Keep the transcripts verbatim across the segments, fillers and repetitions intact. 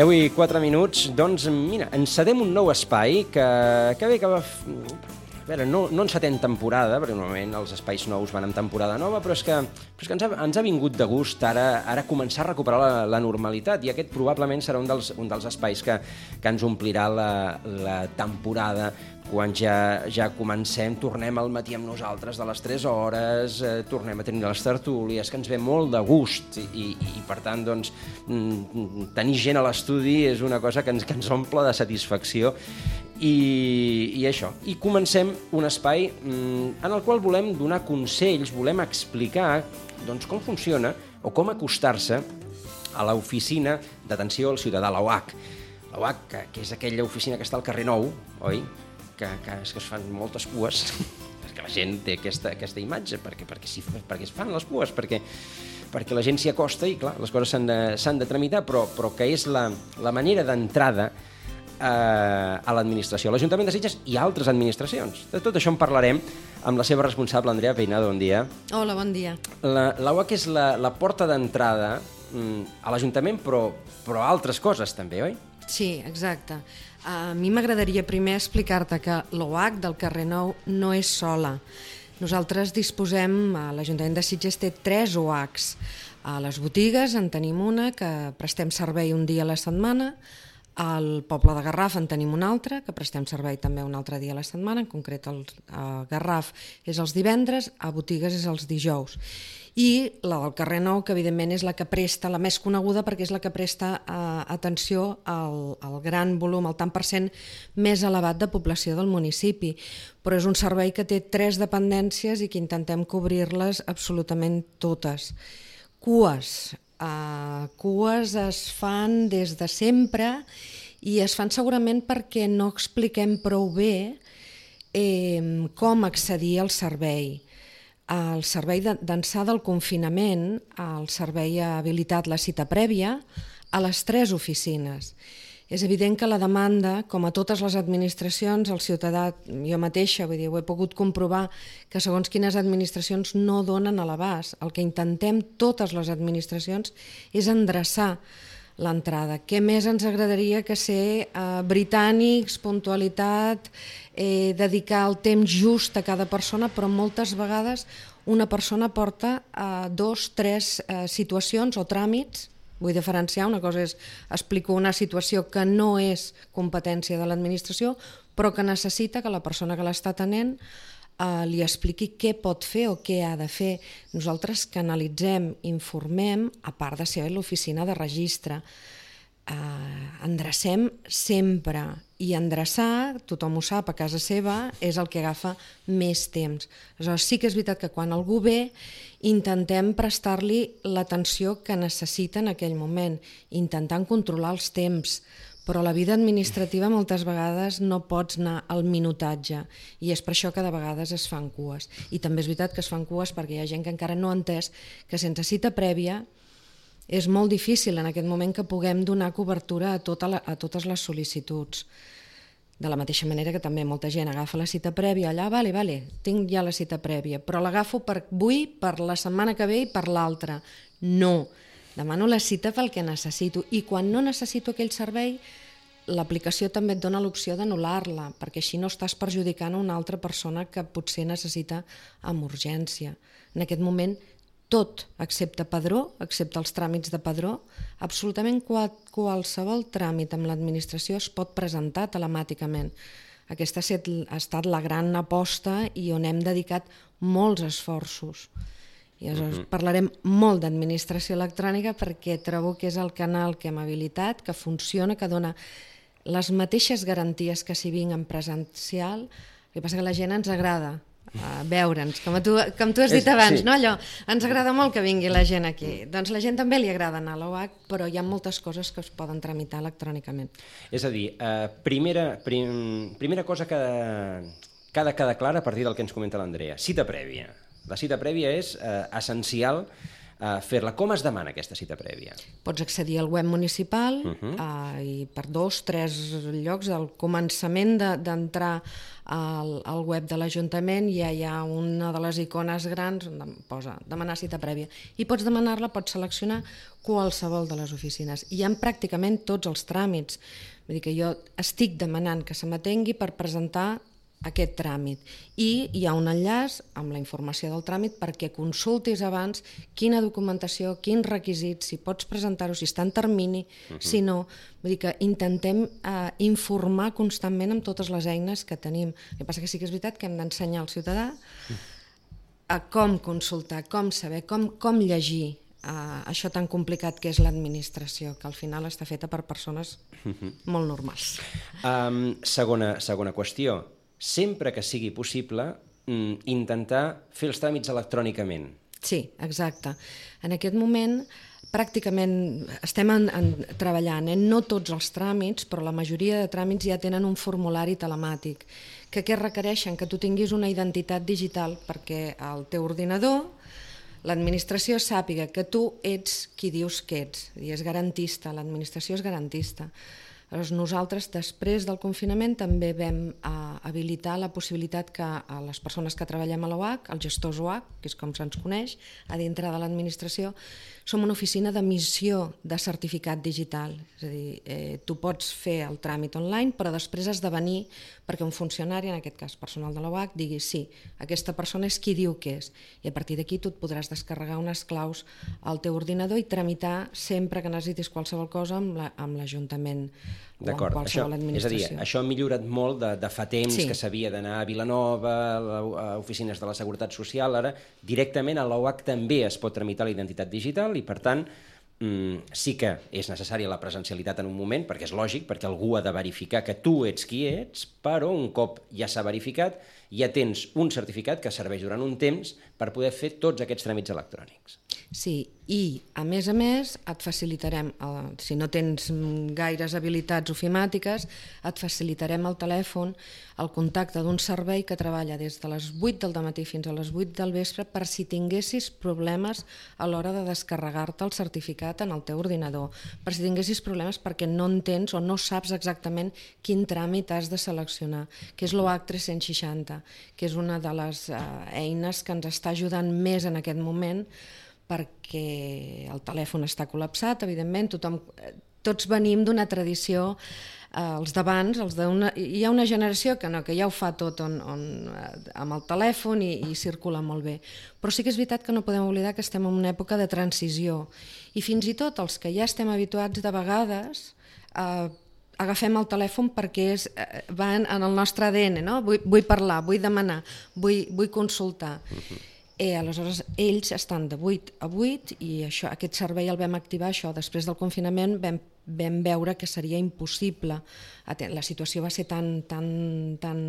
deu i quatre minuts, doncs, mira, encedem un nou espai que, que bé, que va... A veure, no, no encetem temporada, perquè normalment els espais nous van en temporada nova, però és que, però és que ens, ha, ens ha vingut de gust ara, ara començar a recuperar la, la normalitat, i aquest probablement serà un dels, un dels espais que, que ens omplirà la, la temporada quan ja, ja comencem, tornem al matí amb nosaltres de les tres hores, eh, tornem a tenir les tertúlies, que ens ve molt de gust, i, i, i per tant, doncs, tenir gent a l'estudi és una cosa que ens, que ens omple de satisfacció, i, i això. I comencem un espai mm, en el qual volem donar consells, volem explicar doncs, com funciona o com acostar-se a l'oficina d'atenció al ciutadà, la O H. La O H, que, que és aquella oficina que està al carrer Nou, oi? Que, que, és que es fan moltes cues, perquè la gent té aquesta, aquesta imatge, perquè, perquè, sí, perquè es fan les cues, perquè, perquè la gent s'hi acosta i, clar, les coses s'han de, s'han de tramitar, però, però que és la, la manera d'entrada a l'administració, l'Ajuntament de Sitges i altres administracions. De tot això en parlarem amb la seva responsable, Andrea Peinado. Bon dia. Hola, bon dia. La, la O H és la, la porta d'entrada a l'Ajuntament, però, però a altres coses també, oi? Sí, exacte. A mi m'agradaria primer explicar-te que l'O H del carrer Nou no és sola. Nosaltres disposem, a l'Ajuntament de Sitges té tres O Hs. A les botigues en tenim una, que prestem servei un dia a la setmana. Al poble de Garraf en tenim un altre, que prestem servei també un altre dia a la setmana, en concret el, a Garraf és els divendres, a botigues és els dijous. I la del carrer Nou, que evidentment és la que presta, la més coneguda, perquè és la que presta eh, atenció al, al gran volum, al tant per cent més elevat de població del municipi. Però és un servei que té tres dependències i que intentem cobrir-les absolutament totes. Cues. Uh, cues es fan des de sempre i es fan segurament perquè no expliquem prou bé eh, com accedir al servei. El servei d'ençà del confinament, el servei ha habilitat la cita prèvia a les tres oficines. És evident que la demanda, com a totes les administracions, el ciutadà, jo mateixa, vull dir, ho he pogut comprovar, que segons quines administracions no donen a l'abast. El que intentem totes les administracions és endreçar l'entrada. Què més ens agradaria que ser eh, britànics, puntualitat, eh, dedicar el temps just a cada persona, però moltes vegades una persona porta eh, dos, tres eh, situacions o tràmits. Vull diferenciar, una cosa és explico una situació que no és competència de l'administració, però que necessita que la persona que l'està atenent eh, li expliqui què pot fer o què ha de fer. Nosaltres canalitzem, informem, a part de ser l'oficina de registre. Eh, endrecem sempre, i endreçar, tothom ho sap, a casa seva, és el que agafa més temps. Aleshores, sí que és veritat que quan algú ve, intentem prestar-li l'atenció que necessita en aquell moment, intentant controlar els temps, però la vida administrativa moltes vegades no pots anar al minutatge, i és per això que de vegades es fan cues. I també és veritat que es fan cues perquè hi ha gent que encara no ha entès que sense cita prèvia és molt difícil en aquest moment que puguem donar cobertura a, tota la, a totes les sol·licituds. De la mateixa manera que també molta gent agafa la cita prèvia, allà, vale, vale, tinc ja la cita prèvia, però l'agafo per avui, per la setmana que ve i per l'altra. No, demano la cita pel que necessito, i quan no necessito aquell servei, l'aplicació també et dona l'opció d'anul·lar-la, perquè així no estàs perjudicant a una altra persona que potser necessita amb urgència. En aquest moment, tot, excepte padró, excepte els tràmits de padró, absolutament qualsevol tràmit amb l'administració es pot presentar telemàticament. Aquesta ha estat la gran aposta i on hem dedicat molts esforços. I aleshores uh-huh. parlarem molt d'administració electrònica perquè trobo que és el canal que hem habilitat, que funciona, que dona les mateixes garanties que si vinc en presencial. El que passa que a la gent ens agrada a veure'ns, com tu, com tu has dit abans, sí. No? Allò, ens agrada molt que vingui la gent aquí. Doncs la gent també li agrada anar a l'O H, però hi ha moltes coses que es poden tramitar electrònicament. És a dir, eh, primera, prim, primera cosa que, que ha de quedar clara a partir del que ens comenta l'Andrea, cita prèvia. La cita prèvia és eh, essencial uh, fer-la. Com es demana aquesta cita prèvia? Pots accedir al web municipal uh -huh. uh, i per dos, tres llocs, al començament d'entrar de, al, al web de l'Ajuntament ja hi ha una de les icones grans on posa demanar cita prèvia. I pots demanar-la, pots seleccionar qualsevol de les oficines. I hi ha pràcticament tots els tràmits. Vull dir que jo estic demanant que se m'atengui per presentar aquest tràmit. I hi ha un enllaç amb la informació del tràmit perquè consultis abans quina documentació, quins requisits, si pots presentar-ho, si està en termini, uh -huh. si no. Vull dir que intentem eh, informar constantment amb totes les eines que tenim. El que passa que sí que és veritat que hem d'ensenyar al ciutadà a com consultar, com saber, com, com llegir Uh, això tan complicat que és l'administració, que al final està feta per persones molt normals. Um, segona, segona qüestió. Sempre que sigui possible, mm, intentar fer els tràmits electrònicament. Sí, exacte. En aquest moment pràcticament estem en, en, treballant en no tots els tràmits, però la majoria de tràmits ja tenen un formulari telemàtic, que què requereixen? Que tu tinguis una identitat digital perquè al teu ordinador l'administració sàpiga que tu ets qui dius que ets, i és garantista, l'administració és garantista. Llavors nosaltres, després del confinament, també vam eh, habilitar la possibilitat que a les persones que treballem a l'O H, els gestors O H, que és com se'ns coneix, a dintre de l'administració, som una oficina d'emissió de certificat digital. És a dir, eh, tu pots fer el tràmit online, però després has de venir perquè un funcionari, en aquest cas personal de l'O H, digui sí, aquesta persona és qui diu que és. I a partir d'aquí tu et podràs descarregar unes claus al teu ordinador i tramitar sempre que necessitis qualsevol cosa amb l'Ajuntament o amb qualsevol administració. És a dir, això ha millorat molt de, de fa temps sí. que s'havia d'anar a Vilanova, a oficines de la Seguretat Social, ara directament a l'O H també es pot tramitar la identitat digital i per tant sí que és necessària la presencialitat en un moment, perquè és lògic, perquè algú ha de verificar que tu ets qui ets, però un cop ja s'ha verificat, ja tens un certificat que serveix durant un temps per poder fer tots aquests tràmits electrònics. Sí, i a més a més et facilitarem, si no tens gaires habilitats ofimàtiques, et facilitarem al telèfon el contacte d'un servei que treballa des de les vuit del dematí fins a les vuit del vespre per si tinguessis problemes a l'hora de descarregar-te el certificat en el teu ordinador, per si tinguessis problemes perquè no entens o no saps exactament quin tràmit has de seleccionar, que és l'O H tres-cents seixanta, que és una de les eh, eines que ens està ajudant més en aquest moment perquè el telèfon està col·lapsat, evidentment, tothom, tots venim d'una tradició, eh, els d'abans, els d'una, hi ha una generació que no, que ja ho fa tot on, on, amb el telèfon i, i circula molt bé. Però sí que és veritat que no podem oblidar que estem en una època de transició i fins i tot els que ja estem habituats de vegades eh, agafem el telèfon perquè és, eh, va en, en el nostre A D N, no? Vull, vull parlar, vull demanar, vull, vull consultar. Uh-huh. Eh, aleshores, ells estan de vuit a vuit i això, aquest servei el vam activar, això, després del confinament vam, vam veure que seria impossible. La situació va ser tan, tan, tan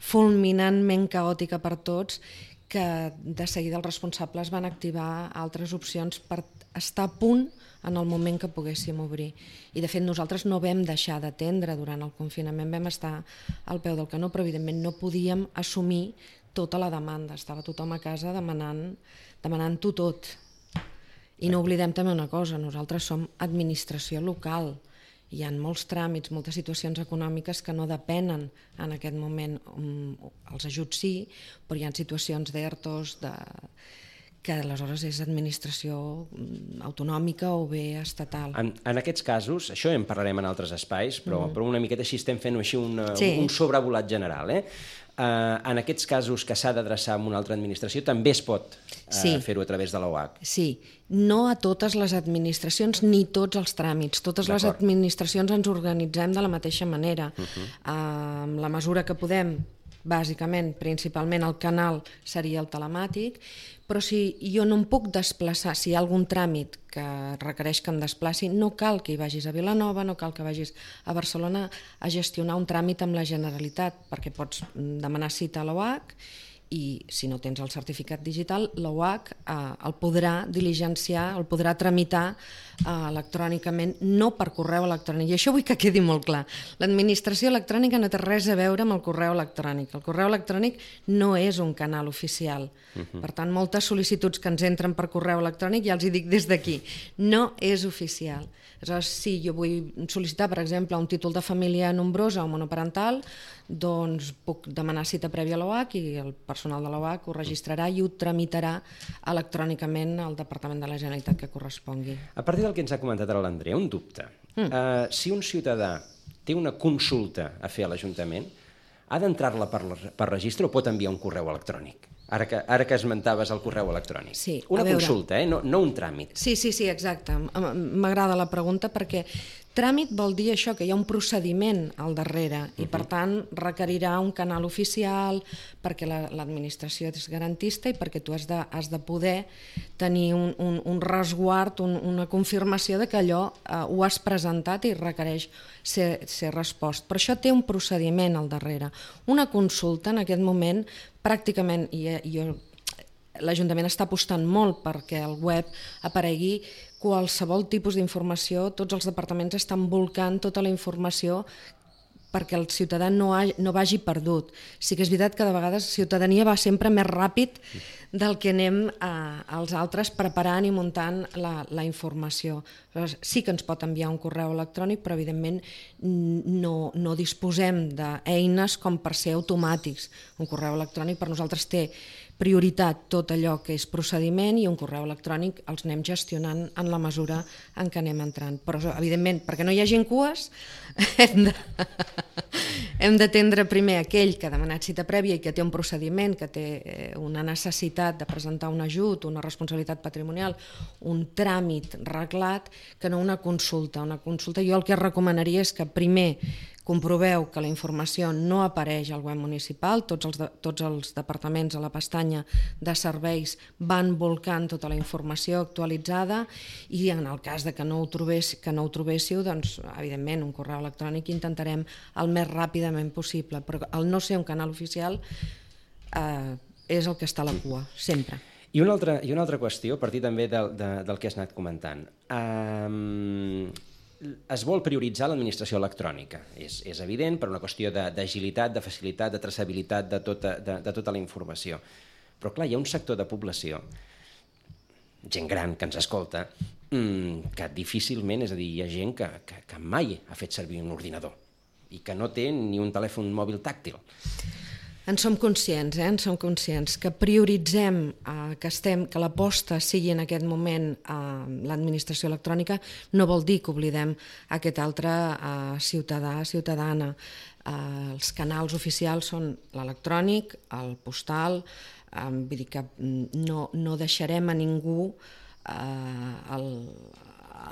fulminantment caòtica per tots que de seguida els responsables van activar altres opcions per estar a punt en el moment que poguéssim obrir. I de fet nosaltres no vam deixar d'atendre durant el confinament, vam estar al peu del canó, però evidentment no podíem assumir tota la demanda, estava tothom a casa demanant, demanant-ho tot. I no oblidem també una cosa, nosaltres som administració local, hi ha molts tràmits, moltes situacions econòmiques que no depenen en aquest moment, els ajuts sí, però hi ha situacions d'ERTOs, de... que aleshores és administració autonòmica o bé estatal. En, en aquests casos, això en parlarem en altres espais, però, mm. però una miqueta així estem fent així una, sí. un sobrevolat general. Eh? Uh, en aquests casos que s'ha d'adreçar a una altra administració també es pot uh, sí. fer-ho a través de l'O H. Sí, no a totes les administracions ni tots els tràmits. Totes les administracions ens organitzem de la mateixa manera. Uh-huh. uh, amb la mesura que podem, bàsicament, principalment el canal seria el telemàtic, però si jo no em puc desplaçar, si hi ha algun tràmit que requereix que em desplaci, no cal que hi vagis a Vilanova, no cal que vagis a Barcelona a gestionar un tràmit amb la Generalitat, perquè pots demanar cita a l'O H i si no tens el certificat digital, l'O H eh, el podrà diligenciar, el podrà tramitar eh, electrònicament, no per correu electrònic. I això vull que quedi molt clar. L'administració electrònica no té res a veure amb el correu electrònic. El correu electrònic no és un canal oficial. Uh-huh. Per tant, moltes sol·licituds que ens entren per correu electrònic, ja els hi dic des d'aquí, no és oficial. Aleshores, si jo vull sol·licitar, per exemple, un títol de família nombrosa o monoparental, doncs puc demanar cita prèvia a l'O H i el personal de l'O H ho registrarà i ho tramitarà electrònicament al Departament de la Generalitat que correspongui. A partir del que ens ha comentat ara l'Andrea, un dubte. Mm. Uh, si un ciutadà té una consulta a fer a l'Ajuntament, ha d'entrar-la per, per registre o pot enviar un correu electrònic? Ara que, ara que esmentaves el correu electrònic. Sí, una veure... consulta, eh? no, no un tràmit. Sí, sí, sí, exacte. M'agrada la pregunta perquè tràmit vol dir això, que hi ha un procediment al darrere i, per tant, requerirà un canal oficial perquè l'administració és garantista i perquè tu has de, has de poder tenir un, un, un resguard, un, una confirmació de que allò eh, ho has presentat i requereix ser, ser respost. Però això té un procediment al darrere. Una consulta, en aquest moment, pràcticament, i jo, l'Ajuntament està apostant molt perquè al web aparegui qualsevol tipus d'informació, tots els departaments estan volcant tota la informació perquè el ciutadà no, ha, no vagi perdut. Sí que és veritat que de vegades la ciutadania va sempre més ràpid del que anem a, als altres preparant i muntant la, la informació. Llavors, sí que ens pot enviar un correu electrònic, però evidentment no, no disposem d'eines com per ser automàtics. Un correu electrònic per nosaltres té prioritat tot allò que és procediment i un correu electrònic els anem gestionant en la mesura en què anem entrant. Però, evidentment, perquè no hi hagi cues, hem de... hem d'atendre primer aquell que ha demanat cita prèvia i que té un procediment, que té una necessitat de presentar un ajut, una responsabilitat patrimonial, un tràmit reglat, que no una consulta. Una consulta jo el que recomanaria és que primer comproveu que la informació no apareix al web municipal, tots els, de, tots els departaments a la pestanya de serveis van volcant tota la informació actualitzada i en el cas de que no ho, trobés, que no ho trobéssiu, doncs evidentment un correu electrònic intentarem el més ràpidament possible, però el no ser un canal oficial eh, és el que està a la cua, sempre. I una altra, i una altra qüestió, a partir també del, de, del que has anat comentant. Um... Es vol prioritzar l'administració electrònica, és, és evident, per una qüestió d'agilitat, de, de facilitat, de traçabilitat de tota, de, de tota la informació. Però clar, hi ha un sector de població, gent gran que ens escolta, mmm, que difícilment, és a dir, hi ha gent que, que, que mai ha fet servir un ordinador i que no té ni un telèfon mòbil tàctil. En som conscients, eh? en som conscients que prioritzem eh, que, estem, que l'aposta sigui en aquest moment a eh, l'administració electrònica no vol dir que oblidem aquest altre eh, ciutadà, ciutadana. Eh, els canals oficials són l'electrònic, el postal, eh, vull dir que no, no deixarem a ningú eh, el,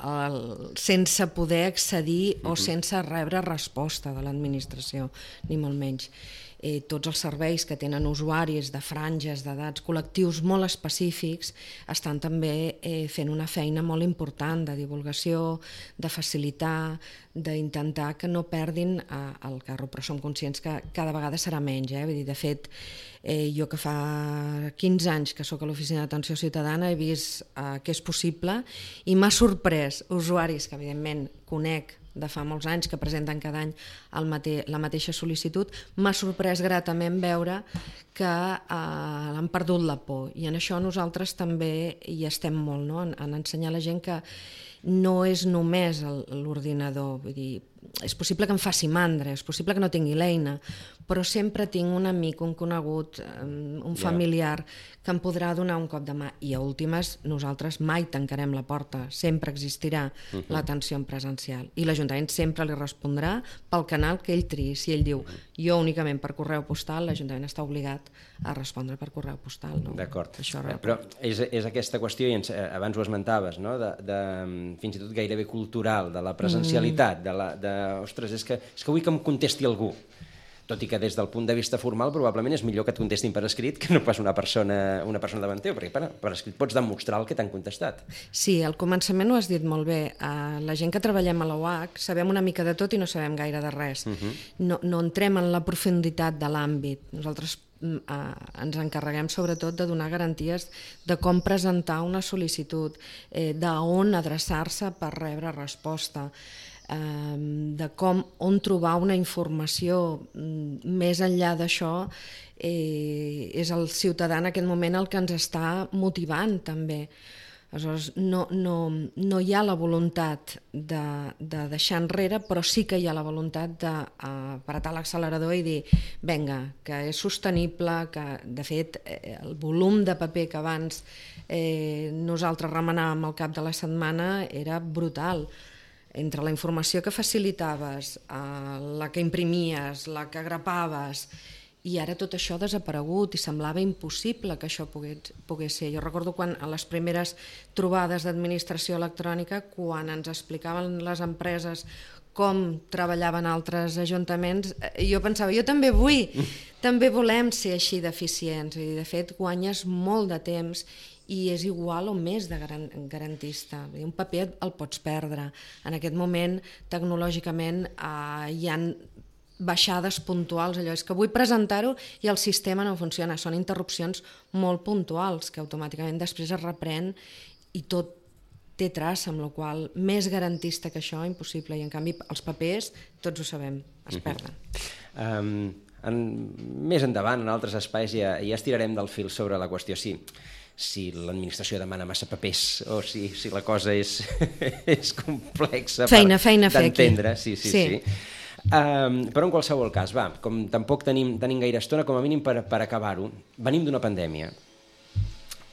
el, sense poder accedir o sense rebre resposta de l'administració, ni molt menys. Eh, tots els serveis que tenen usuaris de franges, d'edats, col·lectius molt específics, estan també eh, fent una feina molt important de divulgació, de facilitar, d'intentar que no perdin eh, el carro, però som conscients que cada vegada serà menys. Eh? Vull dir, de fet, eh, jo que fa quinze anys que sóc a l'Oficina d'Atenció Ciutadana he vist eh, que és possible i m'ha sorprès usuaris que evidentment conec de fa molts anys, que presenten cada any el mate la mateixa sol·licitud, m'ha sorprès gratament veure que eh, han perdut la por. I en això nosaltres també hi estem molt, no? en, en ensenyar a la gent que no és només l'ordinador, vull dir, és possible que em faci mandra, és possible que no tingui l'eina, però sempre tinc un amic, un conegut, un familiar que em podrà donar un cop de mà. I a últimes, nosaltres mai tancarem la porta, sempre existirà uh-huh. l'atenció en presencial. I l'Ajuntament sempre li respondrà pel canal que ell triï. Si ell diu, jo únicament per correu postal, l'Ajuntament està obligat a respondre per correu postal. No? D'acord, però és, és aquesta qüestió, i ens, abans ho esmentaves, no? de, de, fins i tot gairebé cultural, de la presencialitat, mm. de la... De, ostres, és que, és que vull que em contesti algú. Tot i que des del punt de vista formal probablement és millor que et contestin per escrit que no pas una persona, una persona davant teu, perquè per, per escrit pots demostrar el que t'han contestat. Sí, al començament ho has dit molt bé. Uh, la gent que treballem a l'O H sabem una mica de tot i no sabem gaire de res. Uh-huh. no, no entrem en la profunditat de l'àmbit. Nosaltres ens encarreguem sobretot de donar garanties de com presentar una sol·licitud, d'on adreçar-se per rebre resposta, de com, on trobar una informació. Més enllà d'això, és el ciutadà en aquest moment el que ens està motivant també. Aleshores, no, no, no hi ha la voluntat de, de deixar enrere, però sí que hi ha la voluntat d'apretar l'accelerador i dir, vinga, que és sostenible, que de fet el volum de paper que abans eh, nosaltres remenàvem al cap de la setmana era brutal. Entre la informació que facilitaves, eh, la que imprimies, la que grapaves, i ara tot això ha desaparegut i semblava impossible que això pogués, pogués ser. Jo recordo quan a les primeres trobades d'administració electrònica, quan ens explicaven les empreses com treballaven altres ajuntaments, jo pensava, jo també vull, també volem ser així d'eficients, i de fet guanyes molt de temps i és igual o més de garantista. Un paper el pots perdre. En aquest moment, tecnològicament, eh, hi ha baixades puntuals, allò és que vull presentar-ho i el sistema no funciona, són interrupcions molt puntuals que automàticament després es reprèn i tot té traça, amb la qual cosa més garantista que això, impossible, i en canvi els papers, tots ho sabem, es perden. Uh-huh. um, en, més endavant, en altres espais, ja, ja estirarem del fil sobre la qüestió, sí, si l'administració demana massa papers o si, si la cosa és, és complexa feina, feina d'entendre. Sí, sí, sí. sí. Um, però en qualsevol cas, va, com tampoc tenim, tenim gaire estona, com a mínim per, per acabar-ho, venim d'una pandèmia.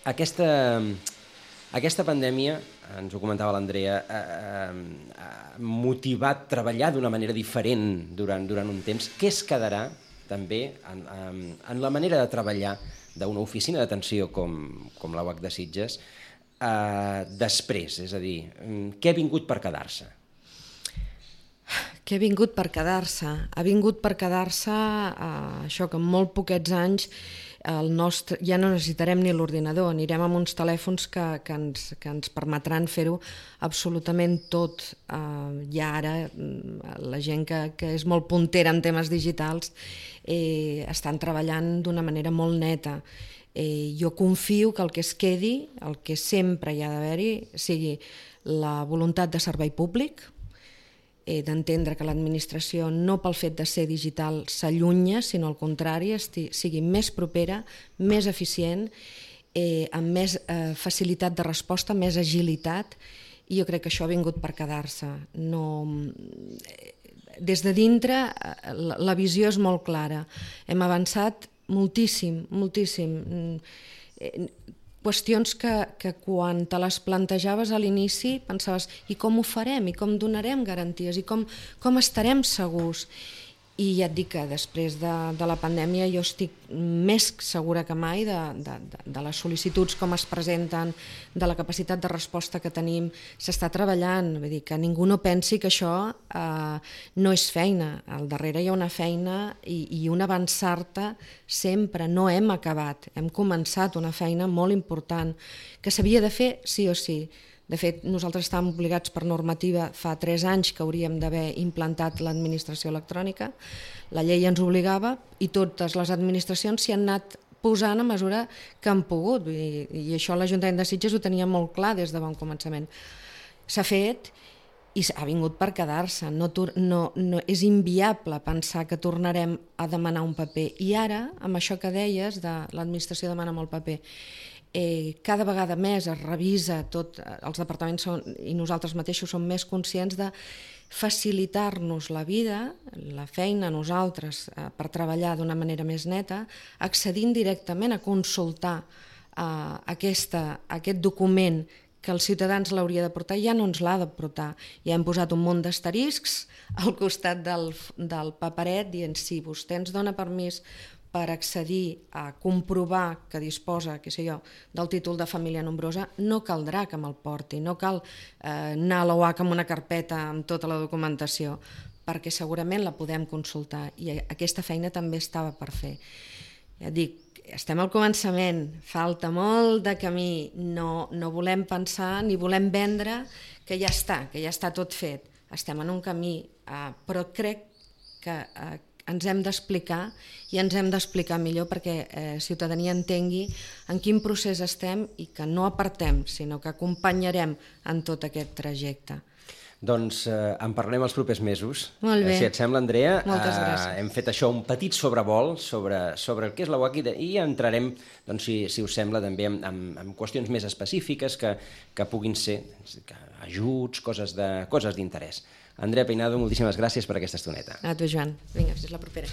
Aquesta, aquesta pandèmia, ens ho comentava l'Andrea, ha motivat treballar d'una manera diferent durant, durant un temps. Què es quedarà també en, en, en la manera de treballar d'una oficina d'atenció com, com la U A C de Sitges eh, després? És a dir, què ha vingut per quedar-se? Que ha vingut per quedar-se. Ha vingut per quedar-se eh, això que en molt poquets anys el nostre, ja no necessitarem ni l'ordinador, anirem amb uns telèfons que, que, ens, que ens permetran fer-ho absolutament tot. Eh, ja ara la gent que, que és molt puntera en temes digitals eh, estan treballant d'una manera molt neta. Eh, jo confio que el que es quedi, el que sempre hi ha d'haver-hi, sigui la voluntat de servei públic, d'entendre que l'administració no pel fet de ser digital s'allunya, sinó al contrari, sigui més propera, més eficient, eh, amb més eh, facilitat de resposta, més agilitat, i jo crec que això ha vingut per quedar-se. No... Des de dintre la, la visió és molt clara. Hem avançat moltíssim, moltíssim. Qüestions que, que quan te les plantejaves a l'inici pensaves i com ho farem, i com donarem garanties, i com, com estarem segurs. I ja et dic que després de, de la pandèmia jo estic més segura que mai de, de, de les sol·licituds, com es presenten, de la capacitat de resposta que tenim. S'està treballant, vull dir, que ningú no pensi que això eh, no és feina. Al darrere hi ha una feina i, i un avançar-te sempre. No hem acabat, hem començat una feina molt important que s'havia de fer sí o sí. De fet, nosaltres estàvem obligats per normativa fa tres anys que hauríem d'haver implantat l'administració electrònica. La llei ens obligava i totes les administracions s'hi han anat posant a mesura que han pogut. I, i això l'Ajuntament de Sitges ho tenia molt clar des de bon començament. S'ha fet i ha vingut per quedar-se. No, no, no, és inviable pensar que tornarem a demanar un paper. I ara, amb això que deies, de l'administració demana molt paper, Eh, cada vegada més es revisa tot, els departaments són, i nosaltres mateixos som més conscients de facilitar-nos la vida, la feina a nosaltres eh, per treballar d'una manera més neta, accedint directament a consultar eh, aquesta, aquest document que els ciutadans l'hauria de portar, ja no ens l'ha de portar. Ja hem posat un munt d'asteriscs al costat del, del paperet dient si vostè ens dona permís per accedir a comprovar que disposa, què sé jo, del títol de família nombrosa, no caldrà que me'l porti, no cal eh, anar a la U A C amb una carpeta amb tota la documentació, perquè segurament la podem consultar i aquesta feina també estava per fer. Ja dic, estem al començament, falta molt de camí, no, no volem pensar ni volem vendre que ja està, que ja està tot fet. Estem en un camí, eh, però crec que eh, ens hem d'explicar i ens hem d'explicar millor perquè eh, ciutadania entengui en quin procés estem i que no apartem, sinó que acompanyarem en tot aquest trajecte. Doncs eh, en parlem els propers mesos. Molt bé. Si et sembla, Andrea, Moltes gràcies. eh, hem fet això, un petit sobrevol sobre, sobre el que és la U A C i entrarem, doncs, si, si us sembla, també en, en, en qüestions més específiques que, que puguin ser que, ajuts, coses de, coses d'interès. Andrea Peinado, moltíssimes gràcies per aquesta estoneta. A tu, Joan. Vinga, fins la propera.